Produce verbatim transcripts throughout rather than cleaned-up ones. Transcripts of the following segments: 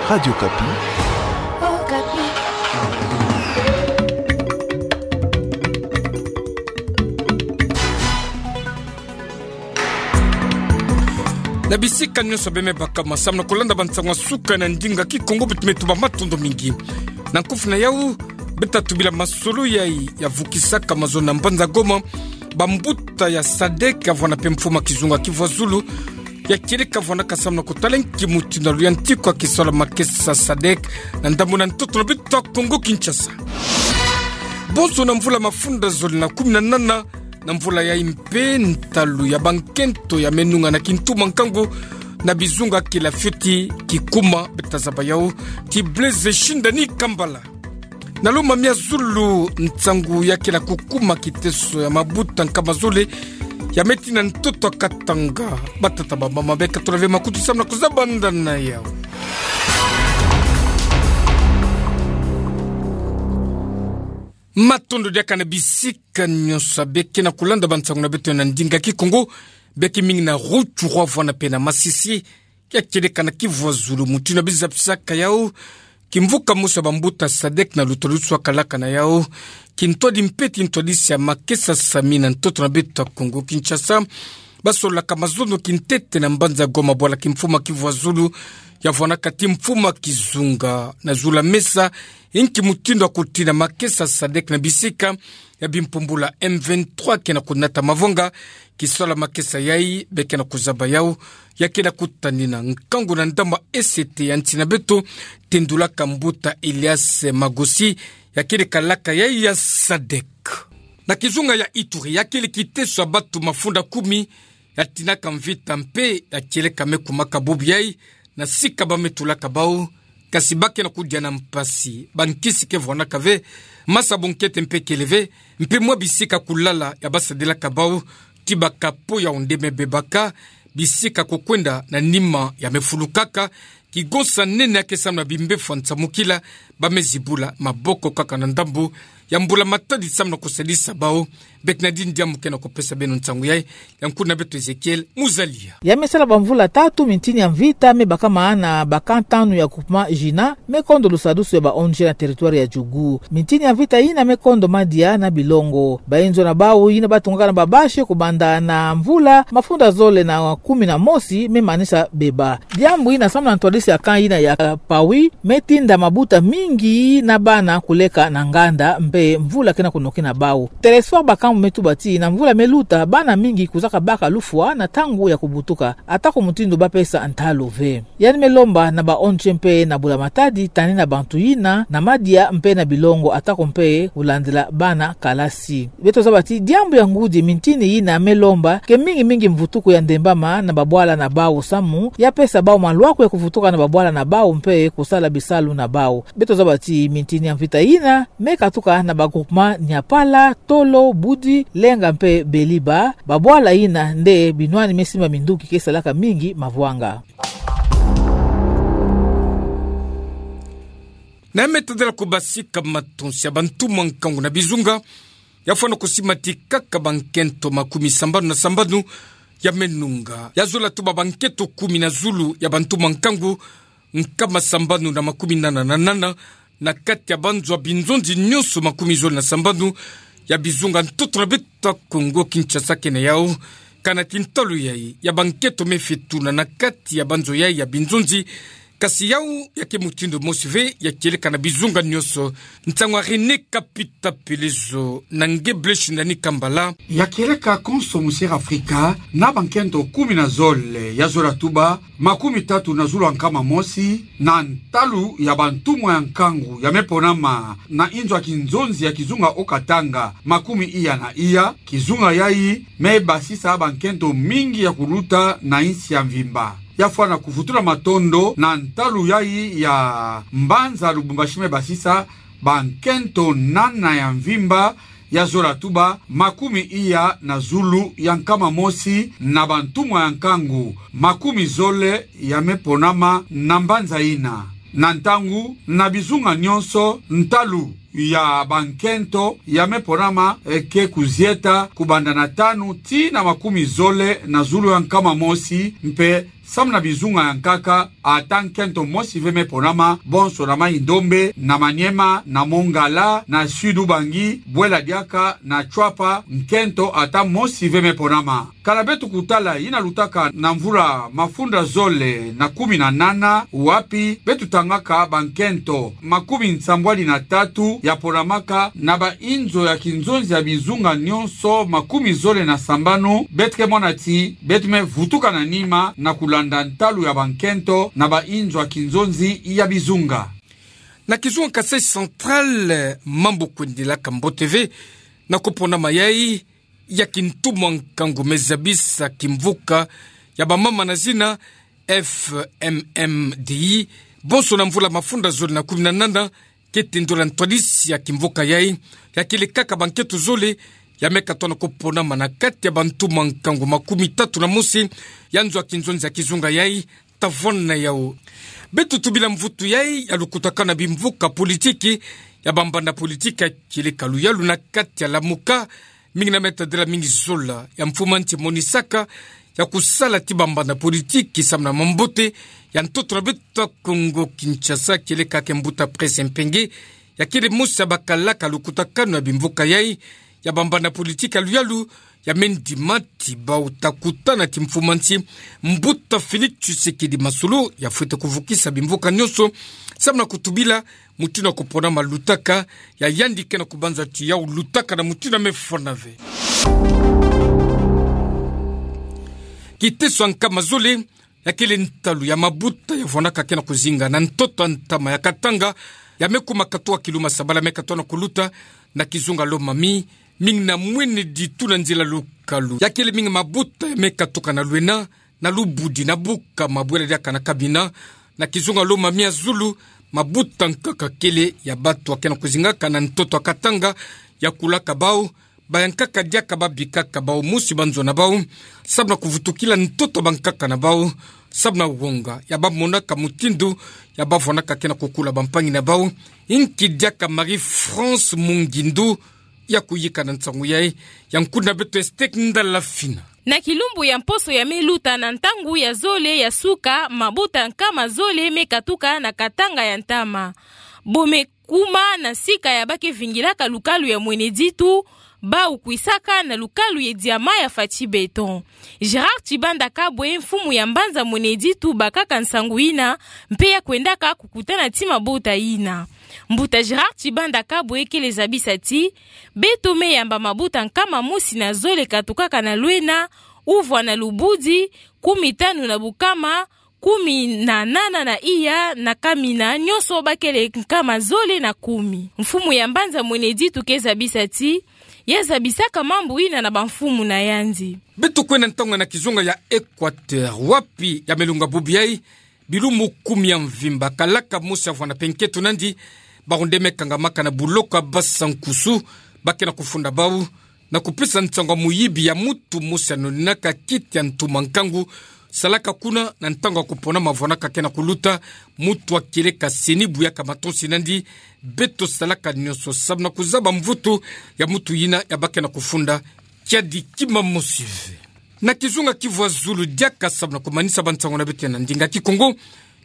Radio Okapi. Na bisika nyonso bemebaka masamu na kulanda bansango ya suka na ndinga Kikongo, beto me tuba matondo mingi. Na nkufi na yau, beta tubila masolo yayi ya vukisaka mazono na mbanza Goma, bambuta ya sadek, ya vwanda mpe mfumu ya kizunga Kivuazulu, ya kieleka vwanaka samu na kutala nki mutindu ya luyantikwa kisalu ya makesa sadek na ndambu na ntoto na beto ya Kongo Kinshasa. Bonso na mvula mafunda zole na kumi na nana, na mvula yayi mpe ntalu ya bankento ya menunga na kintu mwa nkangu na bizunga kila fioti kikuma, beta zaba yau ti Blaise Shindani Kambala. Na lomami ya zulu, nsangu ya kila kukuma kiteso ya mabuta nkama zole ya meti na ntoto ya Katanga. Batata, bamama, beka tula ve makutu samu na kuzabanda na yau. Matondo diaka na bisika nyonso beke na kulanda bansangu na beto na ndinga Kikongo, beke mingi na Rutshuru vwanda mpe na Masisi, ya kieleka na Kivuazulu. Mutindu ya bizapisaka yau, kimvuka mosi ya bambuta sadek na luta lusu ya kalaka na yau, kintwadi mpe ti ntwadisi ya makesa sami na ntoto na beto ya Kongo Kinshasa, basololaka mazono kintete na mbanza Goma, bwala kimfumu ya Kivuazulu, ya vwanaka ti mfumu ya kizunga, na zulu ya mesa, nki mutindu ya kutina makesa sadek na bisika ya bimpumbulu ya M vingt-trois ke na kunata mavonga, kisalu ya makesa yayi, beke na kuzaba yau, ya kila kutanina nkangu na ndambu ya E C T ya nsi na beto, tendulaka mbuta Elias Magosi, ya kieleka kalaka yayi ya sadek. Na kizunga ya Ituri, ya kele kiteso ya bantu mafunda kumi, ya tinaka mvita mpe ya kieleka me kumaka bubu yayi, na sika ba me tulaka bau, kasi ba ke na kudia na mpasi, bankisi ke vwanaka ve, masabu nkete mpe kele ve, mpe mwa bisika kulala ya basadilaka bau, ti baka po ya onde me bebaka, bisika kukwenda na nima ya me fulukaka, kigonsa nene ya ke samu na bimbefu ya nsamukila, ba me zibula maboko kaka na ndambu ya mbula matadi samu na kusadisa bau. Beke na dini diambu ke na kupesa beno nsangu yayi, ya nkuna beto Ezekiel Muzalia. Ya me sala bamvula tatu, mintini ya mvita me bakama na bakamp tanu ya groupement Jina, me kondo lusadusu ya ba O N G na territoire ya Djugu. Mintini ya mvita yina me kondo madia na bilongo. Bayinzo na bau yina batungaka na babashe kubanda na mvula mafunda zole na kumi na mosi me manisa beba. Diambu yina samu na ntwadisi ya camp yina ya Pawi, me tinda mabuta mingi na bana kuleka na nganda, mpe mvula ke na kunoki na bau. Telesphore Bakambu me tuba ti na mvula me luta, bana mingi kuzaka baka lufwa na ntangu ya kubutuka, atako mutindu ba pesa ntalu ve. Yandi me lomba na ba O N G mpe na mbula matadi tanina bantu yina na madia mpe na bilongo, atako mpe kulandila bana kalasi. Beto zaba ti diambu ya ngudi, mintini yina me lomba ke mingi mingi mvutuku ya ndembama na babwala na bau samu ya pesa bau malwaku ya kuvutuka na babwala na bau mpe kusala bisalu na bau. Beto zaba ti mintini ya mvita yina me katuka na ba groupement Niapala, Tolo, Budi, Lenga mpe Beliba, babwala yina nde binwani me simba minduki ke salaka mingi mavwanga. Na ya me tadila kubasika matonsi ya bantu mwa nkangu na bizunga, ya fwana kusimatikaka bankento makumi sambanu na sambanu ya menunga. Ya zola tuba bankento kumi na zulu ya bantu mwa nkangu, nkama sambanu na makumi nana na nana, na kati ya banzo ya binzonzi nyonso makumi zole na sambanu ya bizunga ntoto na beto ya Kongo Kinshasa ke na yau. Kana ti ntalu yayi ya bankento me fetuna na kati ya banzo yayi ya binzonzi, kasi yau ya ke mutindu mosi ve, ya kieleka na bizunga nyonso. Nsangu ya René Kapita Pelezo na nge Blaise Shindani Kambala. Ya kieleka konso mu Sierra Afrika na bankento kumi na zole, ya zola tuba makumi tatu na zulu ya nkama mosi, na ntalu ya bantumwa ya nkangu ya me ponama na inzo ya kinzonzi ya kizunga Haut-Katanga, makumi iya na iya. Kizunga yayi me basisa bankento mingi ya kuluta na insi ya mvimba. Ya fwana kuvutula matondo na ntalu yayi ya mbanza Lubumbashi me basisa bankento nana ya mvimba, ya zola tuba makumi iya na zulu ya nkama mosi na bantumwa ya nkangu makumi zole ya me ponama na mbanza yina. Na ntangu, na bizunga nyonso, ntalu ya bankento ya me ponama, e, ke kuzieta kubanda na tanu tii na makumi zole na zulu ya nkama mosi, mpe samu na bizunga ya nkaka, ata nkento mosi ve me ponama, bonso na Mayi-Ndombe, na Maniema, na Mont-Ngala, na Sud-Ubangi, bwela diaka na Tshuapa, nkento ata mosi ve me ponama. Kana beto kutala yina lutaka na mvula mafunda zole na kumi na nana, wapi beto tangaka bankento makumi nsambwadi na tatu ya ponamaka na bainzo ya kinzonzi ya bizunga nyonso makumi zole na sambanu, beto ke mona ti beto me vutuka na nima na kulanda ntalu ya bankento na bainzo ya kinzonzi ya bizunga. Na kizunga Kasaï Central, mambu kwendilaka mbote ve na kuponama yayi ya kintu mwa nkangu me zabisa kimvuka ya bamama na zina F M M D I, bonso na mvula mafunda zole na kumi na nana, ke tendula ntwadisi ya kimvuka yayi, ya kele kaka bankento zole ya me katoa na kuponama na kati ya bantu mwa nkangu makumi tatu na mosi ya nzo ya kinzonzi ya kizunga yayi, tavona yawu. Beto tubila mvutu yayi ya lukutakanu ya bimvuka politiki, ya bambanda politiki ya kieleka luyalu na kati ya Lamuka, mingi na me tadila mingi zola ya mfumu a nsi emonisaka ya kusala ti bambanda politiki samu na mambote ya ntoto na beto ya Kongo Kinshasa, kieleka ke mbuta Presse Mpenge, ya kele mosi ya bakalaka lukutakanu ya bimvuka yayi, ya bambanda politiki ya luyalu, ya me ndima ti bawu ta kutana ti mfumu a nsi, mbuta Félix Tshisekedi Masolo, ya fwete kuvukisa bimvuka nyonso samu na kutubila mutindu ya kuponama lutaka, ya yandi ke na kubanza ti yawu lutaka na mutindu ya me fwana ve. Kiteso ya nkama zole, ya kele ntalu ya mabuta ya vwanaka ke na kuzinga na ntoto ya ntama ya Katanga, ya me kuma katuka kiluma sabala me katoa na kuluta na kizunga Lomami, mingi na mwene ditu na nzila lukalu. Ya kele mingi mabuta ya me katuka na Lwena, na Lubudi, na Bukama, bwela diaka na Kamina, na kizunga Lomami ya zulu, mabuta nkaka kele ya batu ya ke na kuzingaka na ntoto ya Katanga, ya kulaka bawu, bayankaka diaka, babikaka bawu mosi banzo na bawu, samu na kuvutukila ntoto ya bankaka na bawu, samu na wonga ya bamonaka mutindu ya bavwanaka ke na kukula bampangi na bawu. Inki diaka Marie-France Mungindu ya kuyika na nsangu yayi, ya nkuna beto Esther Ndala Fina. Na kilumbu ya mposo ya me luta, na ntangu ya zole ya suka, mabuta nkama zole me katuka na Katanga ya ntama. Bo me kuma na sika ya ba ke vingilaka lukalu ya Mwene Ditu, bawu kwisaka na lukalu ye diama ya Fatshi Beton. Gérard Tshibanda Kabwe, mfumu ya mbanza Mwene Ditu, bakaka nsangu yina, mpe ya kwendaka kukutana ti mabuta yina. Mbuta Gérard Tshibanda Kabwe kele zabisa ti: Beto me yamba mabuta nkama mosi na zole katukaka na Lwena, uvwa na Lubudi, kumi tanu na Bukama, kumi na nana na iya na Kamina, nyonso ba kele nkama zole na kumi. Mfumu ya mbanza Mwene Ditu ke zabisa ti ya zabisaka mambu yina na bamfumu na yandi. Beto kwenda ntangu na kizunga ya Équateur, wapi ya me lunga bubu yayi, bilumbu kumi ya mvimba, kalaka mosi ya vwanda mpe nkento nandi, bawu nde me kangamaka na buloko ya Basankusu, ba ke na kufunda bawu na kupesa nsangu ya muyibi ya mutu mosi ya noninaka kiti ya ntuma nkangu, salaka kuna na ntangu ya kuponama vwanaka ke na kuluta, mutu ya kieleka seni buyaka matonsi nandi. Beto salaka nyonso samu na kuzaba mvutu ya mutu yina ya ba ke na kufunda. Kiadi kima mosi ve. Na kizunga Kivu ya zulu diaka, samu na kumanisa bansangu na beto ya na ndinga Kikongo,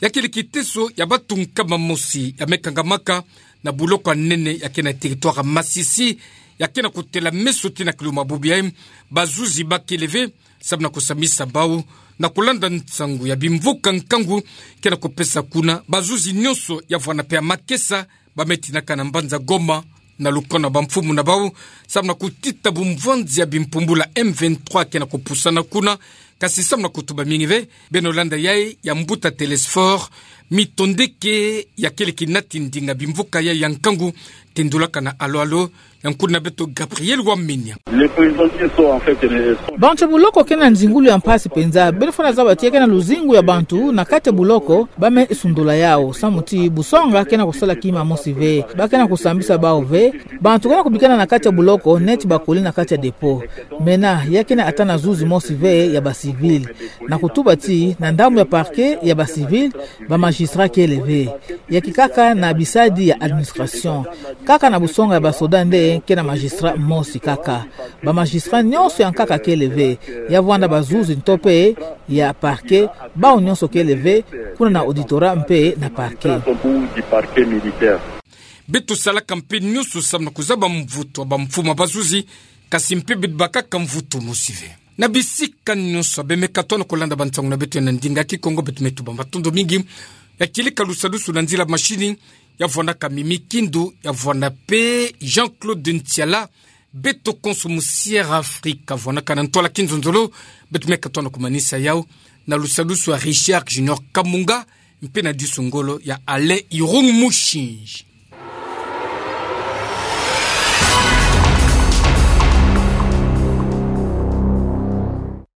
ya kele kiteso ya batu nkama mosi ya me kangamaka na buloko ya nene ya ke na territoire Masisi, ya ke na kutela meso ti na kiluma bubu yayi. Bazuzi ba kele ve samu na kusambisa bawu na kulanda nsangu ya bimvuka nkangu ke na kupesa kuna. Bazuzi nyonso ya vwanda mpe ya makesa ba me tinaka na mbanza Goma, na lukono ya bamfumu na bawu, samu na kutita bumvwanzi ya bimpumbulu ya M vingt-trois ke na kupusana kuna. Kasi samu na kutuba mingi ve, beno landa yayi ya mbuta Télésphore Mitondeke, ya kele kinati ndinga bimvuka yayi ya nkangu, tendulaka na Alo Alo, ya nkuna beto Gabriel Wamenya. Les prisonniers sont en fait les... Bantu ya buloko ke na nzingulu ya mpasi mpenza. Beno fwana zaba ti ya ke na luzingu ya bantu na kati ya buloko, ba me sundula yawu samu ti busonga ke na kusala kima mosi ve. Ba ke na kusambisa bawu ve. Bantu ke na kubikana na kati ya buloko neti bakuli na kati ya dépôt. Mena, ya ke na ata na zuzi mosi ve ya ba civil. Na kutuba ti, na ndambu ya parquet ya ba civil, ba magistrat kele ve. Ya kikaka na bisadi ya administration. Kaka na busonga ya basoda nde ke na magistrat mosi kaka. Ba magistrat nyonso ya nkaka kele ve. Ya vwanda bazuzi nto mpe ya parquet, bawu nyonso kele ve, kuna na auditorat mpe na parquet. Beto salaka mpe nyonso samu na kuzaba mvutu ya bamfumu ya bazuzi, kasi mpe beto bakaka mvutu mosi ve. Na bisika nyonso, bemeka tano kolanda bansangu na beto ya na ndinga Kikongo, beto me tuba matondo mingi. Ya kieleka lusadusu na nzila machine, ya vwandaka Mimi Kindu, ya vwanda mpe Jean-Claude Ntiala, beto konso mu Sierra Africa, vwandaka na ntwala Kinzonzolo, beto meka tano kumanisa yawu, na lusadusu ya Richard Junior Kamunga, mpe na disu ngolo ya Alain Irung Mushinji.